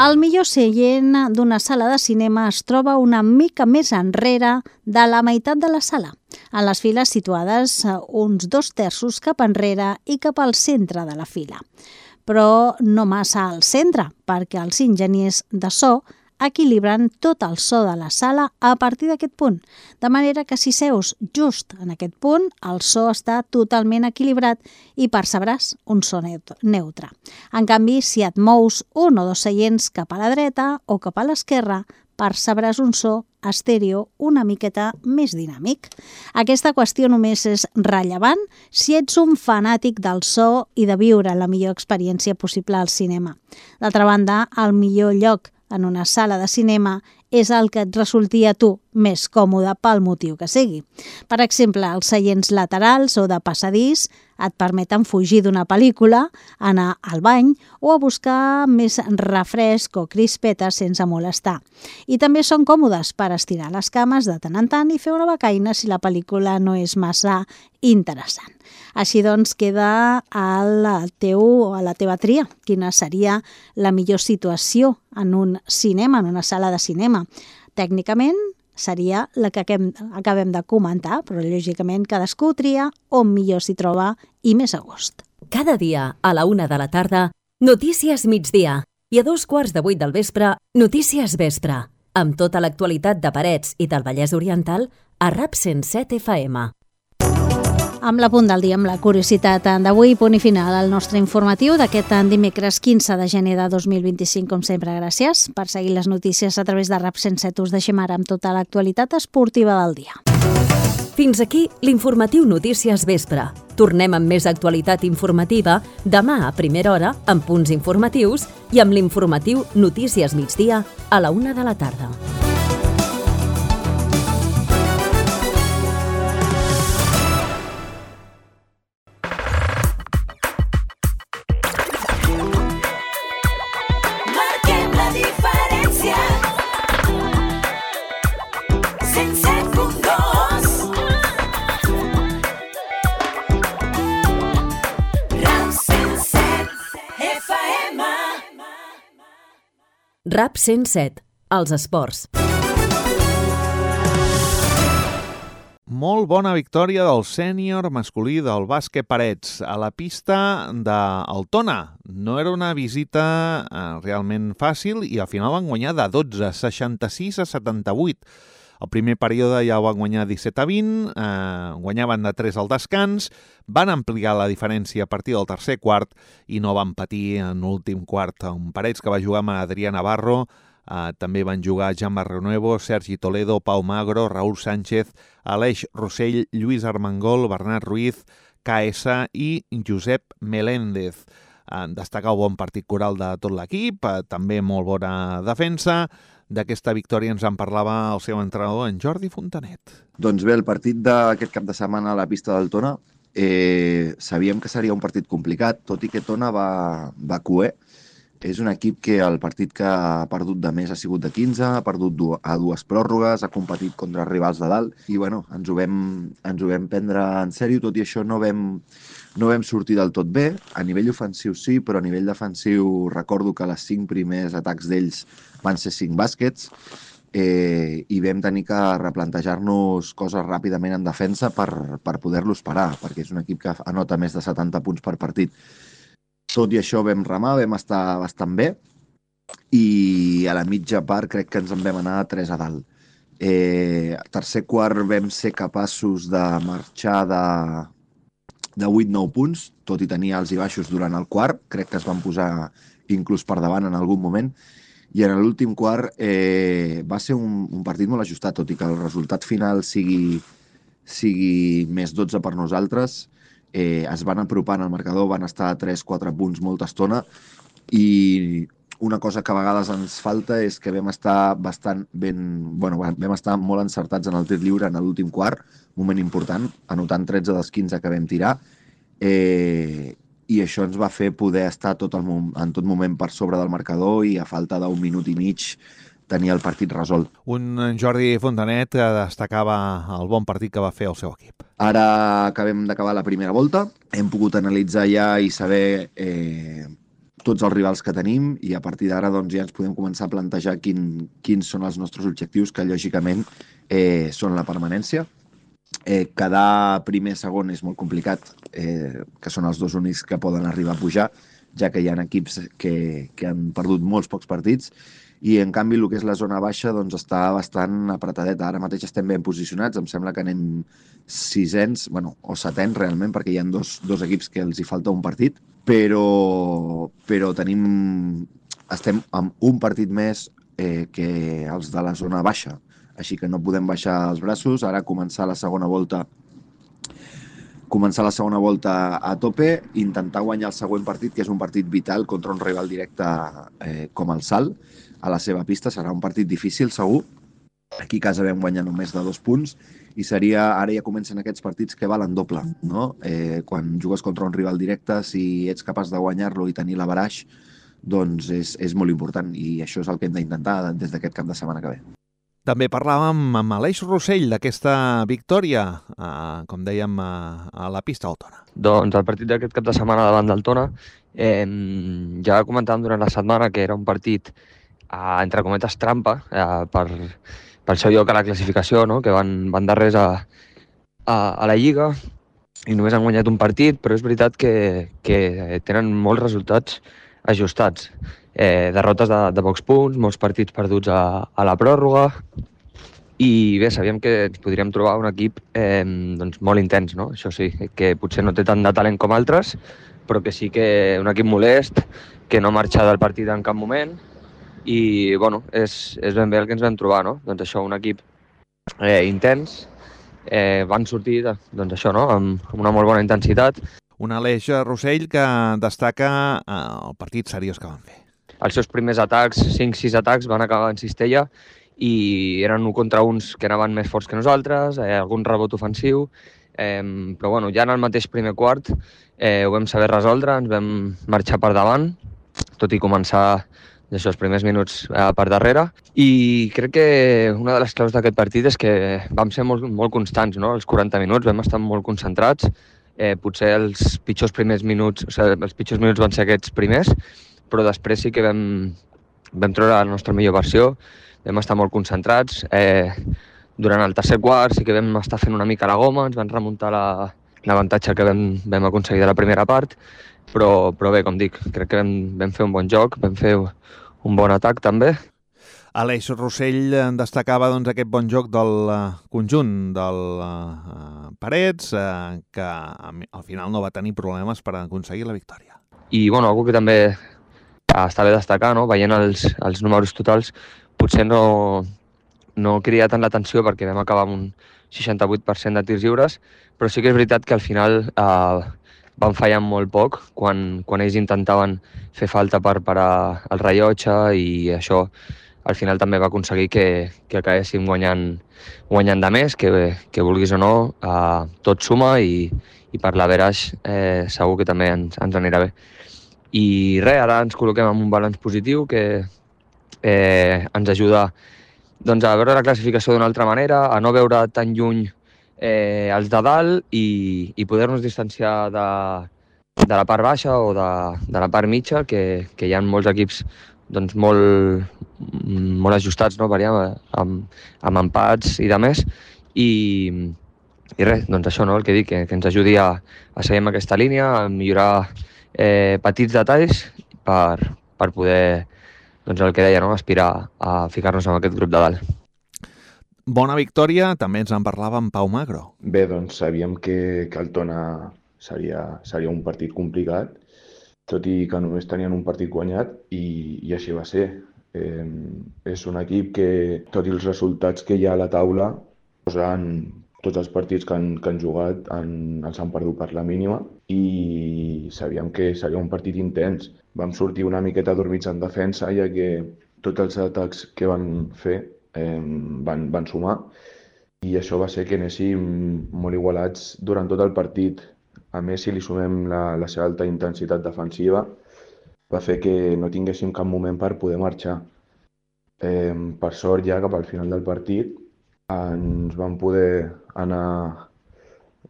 El millor seient d'una sala de cinema es troba una mica més enrere de la meitat de la sala, en les files situades uns dos terços cap enrere i cap al centre de la fila. Però no massa al centre, perquè els enginyers de so equilibren tot el so de la sala a partir d'aquest punt, de manera que si seus just en aquest punt, el so està totalment equilibrat i percebràs un so neutre. En canvi, si et mous un o dos seients cap a la dreta o cap a l'esquerra, percebràs un so estèreo una miqueta més dinàmic. Aquesta qüestió només és rellevant si ets un fanàtic del so i de viure la millor experiència possible al cinema. D'altra banda, el millor lloc en una sala de cinema és el que et resulti a tu més còmode pel motiu que sigui. Per exemple, els seients laterals o de passadís et permeten fugir d'una pel·lícula, anar al bany o a buscar més refresc o crispetes sense molestar. I també són còmodes per estirar les cames de tant en tant i fer una becaina si la pel·lícula no és massa interessant. Així doncs, queda al teu o a la teva tria quina seria la millor situació en un cinema, en una sala de cinema. Tècnicament seria la que acabem de comentar, però lògicament cadascú tria on millor s'hi troba i més a gust. Cada dia a la una de la tarda, Notícies Migdia, i a dos quarts de vuit del vespre, Notícies Vespre, amb tota l'actualitat de Parets i del Vallès Oriental a Rap cent set F M. Amb la punt del dia, amb la curiositat d'avui, punt i final al nostre informatiu d'aquest dimecres quinze de gener de dos mil vint-i-cinc. Com sempre, gràcies per seguir les notícies a través de Rap cent set. Us deixem ara amb tota l'actualitat esportiva del dia. Fins aquí l'informatiu Notícies Vespre. Tornem amb més actualitat informativa demà a primera hora amb punts informatius i amb l'informatiu Notícies Migdia a la una de la tarda. Rap cent set, els esports. Molt bona victòria del sènior masculí del bàsquet Parets a la pista d'Altona. No era una visita eh, realment fàcil i al final van guanyar de dotze, seixanta-sis a setanta-vuit. El primer període ja van guanyar disset a vint, eh, guanyaven de tres al descans, van ampliar la diferència a partir del tercer quart i no van patir en l'últim quart. Un Parets que va jugar amb Adrià Navarro, eh, també van jugar Jan Barrionuevo, Sergi Toledo, Pau Magro, Raúl Sánchez, Aleix Rossell, Lluís Armengol, Bernat Ruiz, K S i Josep Meléndez. Eh, destacar el bon partit coral de tot l'equip, eh, també molt bona defensa. D'aquesta victòria ens en parlava el seu entrenador, en Jordi Fontanet. Doncs bé, el partit d'aquest cap de setmana a la pista del Tona, eh, sabíem que seria un partit complicat, tot i que Tona va, va cuer. És un equip que el partit que ha perdut de més ha sigut de quinze, ha perdut a dues pròrrogues, ha competit contra rivals de dalt i bueno, ens ho vam, ens ho vam prendre en sèrio, tot i això no vam, no vam sortir del tot bé. A nivell ofensiu sí, però a nivell defensiu recordo que les cinc primers atacs d'ells van ser cinc bàsquets eh, i vam tenir que replantejar-nos coses ràpidament en defensa per, per poder-los parar, perquè és un equip que anota més de setanta punts per partit. Tot i això vam remar, vam estar bastant bé i a la mitja part crec que ens en vam anar tres a dalt. Eh, tercer quart vam ser capaços de marxar de, de vuit a nou punts, tot i tenir alts i baixos durant el quart. Crec que es van posar inclús per davant en algun moment. I en l'últim quart eh, va ser un, un partit molt ajustat, tot i que el resultat final sigui, sigui més dotze per nosaltres. Eh, es van apropar en el marcador, van estar a tres quatre punts molta estona, i una cosa que a vegades ens falta és que vam estar bastant ben, bueno, vam estar molt encertats en el tir lliure en l'últim quart, moment important, anotant tretze dels quinze que vam tirar, eh, i això ens va fer poder estar tot el, en tot moment per sobre del marcador i a falta d'un minut i mig tenir el partit resolt. Un Jordi Fontanet que destacava el bon partit que va fer el seu equip. Ara acabem d'acabar la primera volta, hem pogut analitzar ja i saber eh, tots els rivals que tenim, i a partir d'ara doncs, ja ens podem començar a plantejar quin, quins són els nostres objectius, que lògicament eh, són la permanència. Eh, quedar primer segon és molt complicat, eh, que són els dos únics que poden arribar a pujar, ja que hi ha equips que, que han perdut molts pocs partits, i en canvi el que és la zona baixa doncs, està bastant apretadeta. Ara mateix estem ben posicionats, em sembla que anem sisens, bueno, o setens realment, perquè hi ha dos, dos equips que els hi falta un partit, però, però tenim, estem amb un partit més eh, que els de la zona baixa, així que no podem baixar els braços. Ara començar la segona volta començar la segona volta a tope, intentar guanyar el següent partit, que és un partit vital contra un rival directe eh, com el Salt, a la seva pista. Serà un partit difícil, segur. Aquí a casa vam guanyar només de dos punts, i seria, ara ja comencen aquests partits que valen doble, no? Eh, quan jugues contra un rival directe, si ets capaç de guanyar-lo i tenir l'averaix, doncs és, és molt important, i això és el que hem d'intentar des d'aquest cap de setmana que ve. També parlàvem amb Aleix Rossell d'aquesta victòria, eh, com dèiem, a, a la pista del Tona. Doncs el partit d'aquest cap de setmana davant del Tona, eh, ja comentàvem durant la setmana que era un partit, eh, entre cometes, trampa, eh, per, pel seu lloc a la classificació, no? Que van, van darrers a, a, a la Lliga, i només han guanyat un partit, però és veritat que, que tenen molts resultats ajustats. Eh, derrotes de, de pocs punts, molts partits perduts a, a la pròrroga, i bé, sabíem que ens podríem trobar un equip eh, doncs molt intens, no? Això sí, que potser no té tant de talent com altres, però que sí que un equip molest, que no marxa del partit en cap moment, i bueno, és, és ben bé el que ens vam trobar, no? Doncs això, un equip eh, intens, eh, van sortir doncs això, no? amb, amb una molt bona intensitat. Un Aleix Rossell que destaca eh, el partit seriós que van fer. Els seus primers atacs, cinc sis atacs, van acabar en cistella, i eren un contra uns que anaven més forts que nosaltres, eh, algun rebot ofensiu, eh, però bueno, ja en el mateix primer quart eh, ho vam saber resoldre, ens vam marxar per davant, tot i començar d'això, els primers minuts eh, per darrere, i crec que una de les claus d'aquest partit és que vam ser molt, molt constants, no? Els quaranta minuts vam estar molt concentrats, eh, potser els pitjors primers minuts, o sigui, els pitjors minuts van ser aquests primers, però després sí que vam, vam treure la nostra millor versió, vam estar molt concentrats. Eh, durant el tercer quart sí que vam estar fent una mica la goma, ens van remuntar l'avantatge que vam, vam aconseguir de la primera part, però, però bé, com dic, crec que vam, vam fer un bon joc, vam fer un bon atac també. Aleix Rossell destacava doncs, aquest bon joc del uh, conjunt del uh, Parets, uh, que al final no va tenir problemes per aconseguir la victòria. I bueno, algú que també està bé destacar, no? Veient els, els números totals, potser no, no crida tant l'atenció perquè vam acabar amb un seixanta-vuit per cent de tirs lliures, però sí que és veritat que al final eh, van fallar molt poc quan, quan ells intentaven fer falta per parar el rellotge, i això al final també va aconseguir que, que acabéssim guanyant, guanyant de més, que, que vulguis o no, eh, tot suma, i, i per l'averaix eh, segur que també ens, ens anirà bé. I res, ara ens col·loquem en un balanç positiu que eh, ens ajuda doncs, a veure la classificació d'una altra manera, a no veure tan lluny eh, els de dalt, i, i poder-nos distanciar de, de la part baixa o de, de la part mitja, que, que hi ha molts equips doncs, molt, molt ajustats, no? Veiem, amb, amb empats i de més, i, i res, doncs això, no? El que dic, que, que ens ajudi a, a seguir amb aquesta línia, a millorar Eh, petits detalls per, per poder doncs el que deia, no? Aspirar a ficar-nos en aquest grup de dalt. Bona victòria, també ens en parlava en Pau Magro. Bé, doncs sabíem que, que el Tona seria, seria un partit complicat, tot i que només tenien un partit guanyat, i, i així va ser. Eh, és un equip que, tot i els resultats que hi ha a la taula, posen tots els partits que han, que han jugat han, els han perdut per la mínima, i sabíem que seria un partit intens. Vam sortir una miqueta dormits en defensa, ja que tots els atacs que van fer eh, van, van sumar, i això va ser que anéssim molt igualats durant tot el partit. A més, si li sumem la, la seva alta intensitat defensiva, va fer que no tinguéssim cap moment per poder marxar. Eh, per sort, ja cap al final del partit, ens van poder anar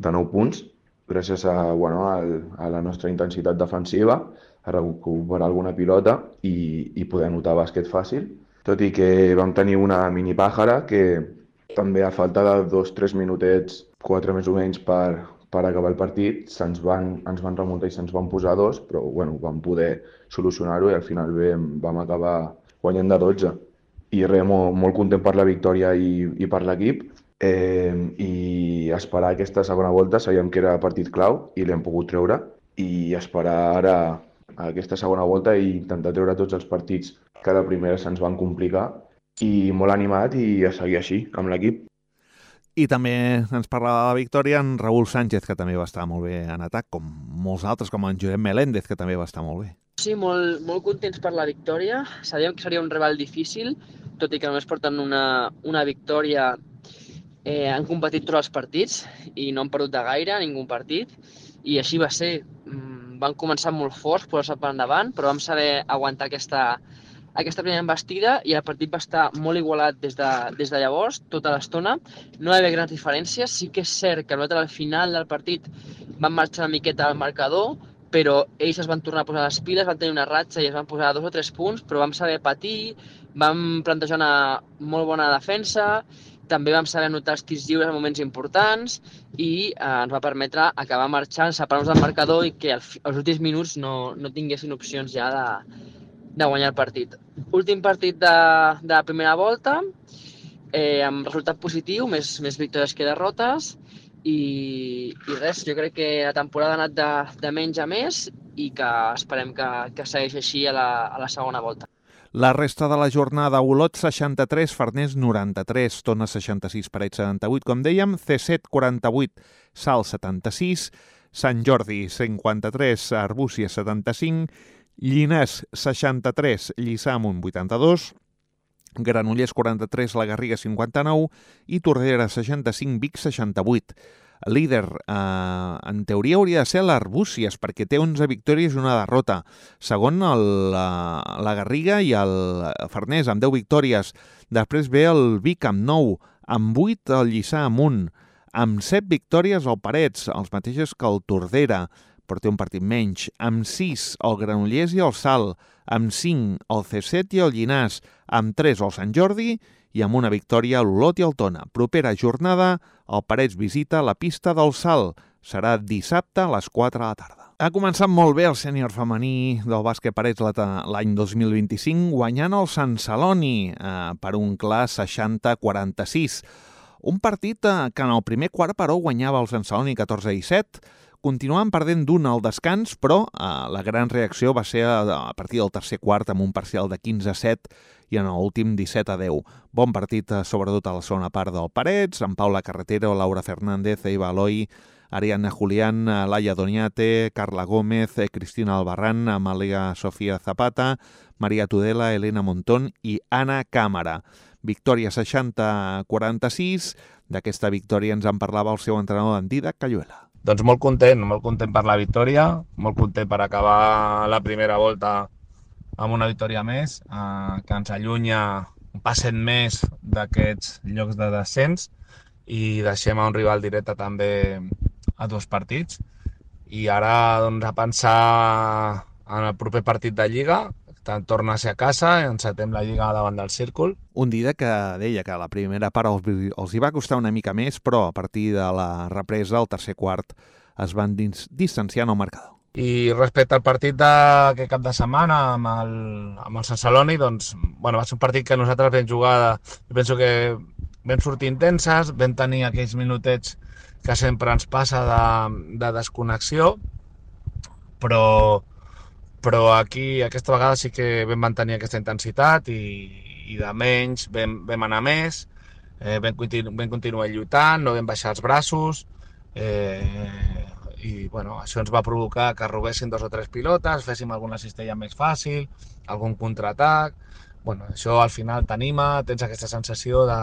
de nou punts gràcies a, bueno, a la nostra intensitat defensiva, a recuperar alguna pilota i, i poder anotar bàsquet fàcil. Tot i que vam tenir una mini pàjara que també a falta de dos o tres minutets, quatre més o menys, per, per acabar el partit, se'ns van, ens van remuntar i se'ns van posar dos, però bueno, vam poder solucionar-ho i al final bé, vam acabar guanyant de dotze. I res, molt, molt content per la victòria i, i per l'equip, eh, i esperar aquesta segona volta. Sabíem que era partit clau i l'hem pogut treure, i esperar ara aquesta segona volta i intentar treure tots els partits que a la primera se'ns van complicar, i molt animat i a seguir així amb l'equip. I també ens parlava de la victòria en Raúl Sánchez, que també va estar molt bé en atac, com molts altres, com en Josep Meléndez, que també va estar molt bé. Sí, molt, molt contents per la victòria. Sabíem que seria un rival difícil, tot i que només porten una, una victòria. Eh, han competit tots els partits i no han perdut de gaire ningú partit, i així va ser. Mm, van començar molt forts, posar-se per endavant, però vam saber aguantar aquesta, aquesta primera embestida, i el partit va estar molt igualat des de, des de llavors, tota l'estona. No hi va haver grans diferències. Sí que és cert que nosaltres al final del partit vam marxar una miqueta al marcador, però ells es van tornar a posar les piles, van tenir una ratxa i es van posar dos o tres punts, però vam saber patir, vam plantejar una molt bona defensa, també vam saber anotar els tirs lliures en moments importants, i eh, ens va permetre acabar marxant, separar-nos del marcador i que als últims minuts no, no tinguessin opcions ja de, de guanyar el partit. Últim partit de, de la primera volta, eh, amb resultat positiu, més, més victòries que derrotes, I, i res, jo crec que la temporada ha anat de, de menys a més, i que esperem que, que segueixi així a la, a la segona volta. La resta de la jornada: Olot seixanta-tres, Farners noranta-tres, Tona seixanta-sis, Parets setanta-vuit, com dèiem, C set quaranta-vuit, Salt setanta-sis, Sant Jordi cinquanta-tres, Arbúcies setanta-cinc, Llinars seixanta-tres, Lliçà Amunt vuitanta-dos, Granollers quaranta-tres, La Garriga cinquanta-nou i Tordera seixanta-cinc, Vic seixanta-vuit. El líder, eh, en teoria, hauria de ser l'Arbúcies, perquè té onze victòries i una derrota. Segon, el, la, la Garriga i el Farners, amb deu victòries. Després ve el Vic amb nou, amb vuit el Lliçà Amunt, amb set victòries el Parets, els mateixos que el Tordera, però té un partit menys. Amb sis el Granollers i el Salt, amb cinc el C set i el Llinars, amb tres el Sant Jordi i amb una victòria l'Olot i el Tona. Propera jornada, el Parets visita la pista del Salt. Serà dissabte a les quatre de la tarda. Ha començat molt bé el sènior femení del bàsquet Parets l'any dos mil vint-i-cinc, guanyant el Sant Celoni eh, per un clar seixanta a quaranta-sis. Un partit eh, que en el primer quart, però, guanyava el Sant Celoni catorze a disset, continuaven perdent d'un al descans, però eh, la gran reacció va ser a, a partir del tercer quart amb un parcial de quinze a set i en l'últim disset a deu. Bon partit, eh, sobretot a la segona part del Parets, amb Paula Carretero, Laura Fernández, Eva Eloi, Ariadna Julián, Laia Doniate, Carla Gómez, Cristina Albarrán, Amalia Sofía Zapata, Maria Tudela, Elena Montón i Anna Càmera. Victòria seixanta a quaranta-sis. D'aquesta victòria ens en parlava el seu entrenador, en Didac Cayuela. Doncs molt content, molt content per la victòria, molt content per acabar la primera volta amb una victòria més, eh, que ens allunya un passet més d'aquests llocs de descens i deixem a un rival directe també a dos partits. I ara doncs, a pensar en el proper partit de Lliga, torna a ser a casa, encetem la Lliga davant del Círcul. Un dia que deia que la primera part els, els hi va costar una mica més, però a partir de la represa, al tercer quart, es van dins, distanciant el marcador. I respecte al partit d'aquest cap de setmana amb el, amb el Sant Celoni, doncs, bueno, va ser un partit que nosaltres vam jugar, jo penso que vam sortir intenses, vam tenir aquells minutets que sempre ens passa de, de desconnexió, però, però aquí aquesta vegada sí que vam mantenir aquesta intensitat i, i de menys vam, vam anar més, eh, vam, continu, vam continuar lluitant, no vam baixar els braços, eh, i bueno, això ens va provocar que robéssim dos o tres pilotes, féssim alguna cistella més fàcil, algun contraatac. Bueno, això al final t'anima, tens aquesta sensació de,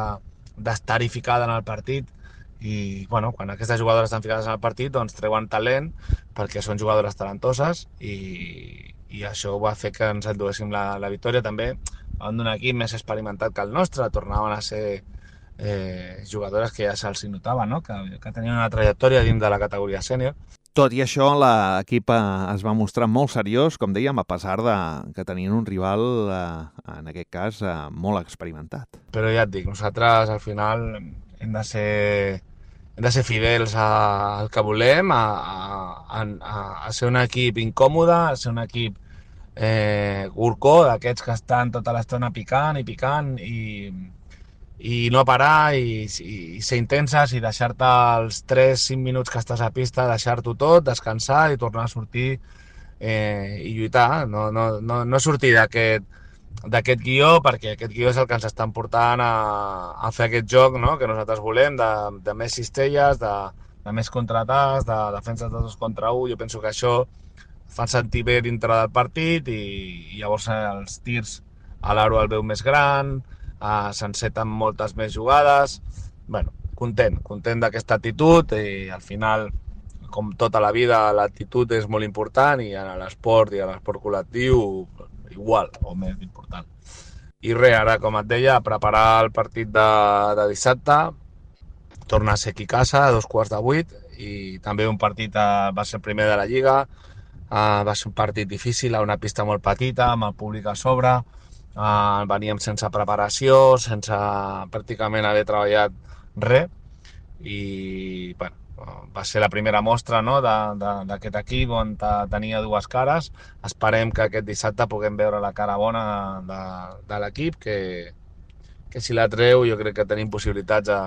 d'estar-hi ficada en el partit i bueno, quan aquestes jugadores estan ficades en el partit doncs treuen talent perquè són jugadores talentoses i, i això va fer que ens enduguéssim la, la victòria també davant d'un equip més experimentat que el nostre, tornaven a ser Eh, jugadores que ja se'ls notava, no? que, que tenien una trajectòria dins de la categoria sènior. Tot i això, l'equip es va mostrar molt seriós, com dèiem, a pesar de que tenien un rival, eh, en aquest cas, eh, molt experimentat. Però ja et dic, nosaltres al final hem de ser, hem de ser fidels a, al que volem, a, a, a, a ser un equip incòmode, a ser un equip eh, gurcó, d'aquests que estan tota l'estona picant i picant i i no parar i, i, i ser intenses i deixar-te els tres cinc minuts que estàs a pista, deixar-t'ho tot, descansar i tornar a sortir eh, i lluitar, no, no, no, no sortir d'aquest d'aquest guió, perquè aquest guió és el que ens estan portant a, a fer aquest joc, no?, que nosaltres volem, de, de més cistelles, de, de més contraatacs, de defenses de dos contra un. Jo penso que això fa sentir bé dintre del partit i, i llavors els tirs a l'aro el veu més gran, Uh, s'enceten moltes més jugades. Bueno, content, content d'aquesta actitud i al final, com tota la vida, l'actitud és molt important i en l'esport i en l'esport col·lectiu igual o més important. I res, ara, com et deia, preparar el partit de, de dissabte, tornar a ser aquí a casa a dos quarts de vuit i també un partit, uh, va ser el primer de la Lliga, uh, va ser un partit difícil a una pista molt petita, amb el públic a sobre. Uh, veníem sense preparació, sense pràcticament haver treballat res i bueno, va ser la primera mostra, no?, d'aquest equip on tenia dues cares. Esperem que aquest dissabte puguem veure la cara bona de, de l'equip, que, que si la treu jo crec que tenim possibilitats de,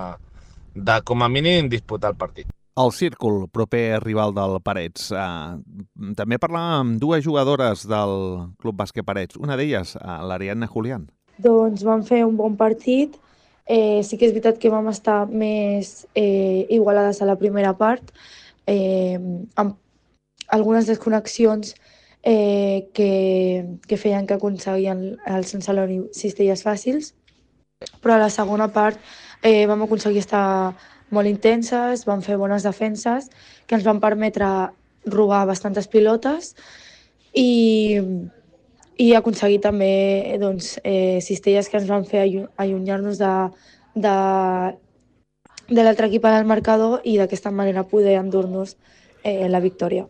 de com a mínim disputar el partit. El Círcul, proper rival del Parets. Uh, també parlàvem amb dues jugadores del Club Bàsquet Parets. Una d'elles, uh, l'Ariadna Julián. Doncs vam fer un bon partit. Eh, sí que és veritat que vam estar més eh, igualades a la primera part, eh, amb algunes desconnexions eh, que, que feien que aconseguien el Sant Celoni cistelles fàcils, però a la segona part eh, vam aconseguir estar molt intenses, vam fer bones defenses que ens van permetre robar bastantes pilotes i, i aconseguir també doncs, eh, cistelles que ens van fer allunyar-nos de, de, de l'altre equip en el marcador i d'aquesta manera poder endur-nos eh, la victòria.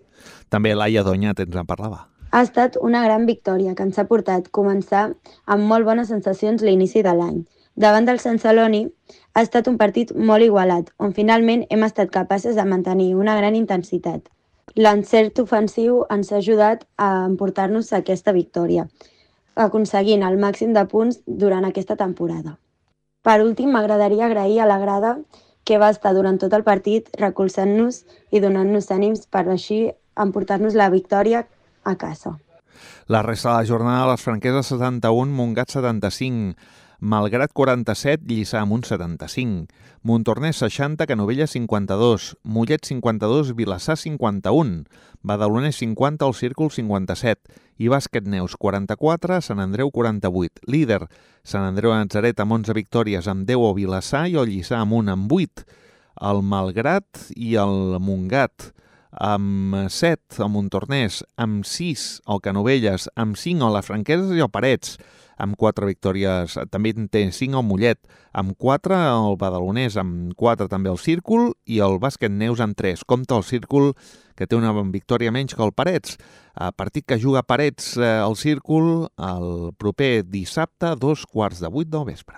També Laia Doñat ens en parlava. Ha estat una gran victòria que ens ha portat començar amb molt bones sensacions l'inici de l'any. Davant del Sant Celoni ha estat un partit molt igualat, on finalment hem estat capaces de mantenir una gran intensitat. L'encert ofensiu ens ha ajudat a emportar-nos aquesta victòria, aconseguint el màxim de punts durant aquesta temporada. Per últim, m'agradaria agrair a la grada que va estar durant tot el partit recolzant-nos i donant-nos ànims per així emportar-nos la victòria a casa. La resta de la jornada, les franqueses setanta-un, Montgat setanta-cinc, Malgrat quaranta-set, Lliçà Amunt setanta-cinc, Montornès seixanta, Canovelles cinquanta-dos, Mollet cinquanta-dos, Vilassar cinquanta-un, Badalonès cinquanta, El Círcul cinquanta-set i Bàsquet Neus quaranta-quatre, Sant Andreu quaranta-vuit. Líder, Sant Andreu de Natzaret amb onze victòries, amb deu el Vilassar i el Lliçà Amunt amb vuit. El Malgrat i el Montgat amb set, el Montornès amb sis, el Canovelles amb cinc, el Franqueses i el Parets amb quatre victòries, també en té cinc el Mollet, amb quatre el Badalonès, amb quatre també el Círcul i el Bàsquet Neus amb tres. Compte el Círcul, que té una victòria menys que el Parets. A partit que juga Parets, el Círcul, el proper dissabte, dos quarts de vuit del vespre.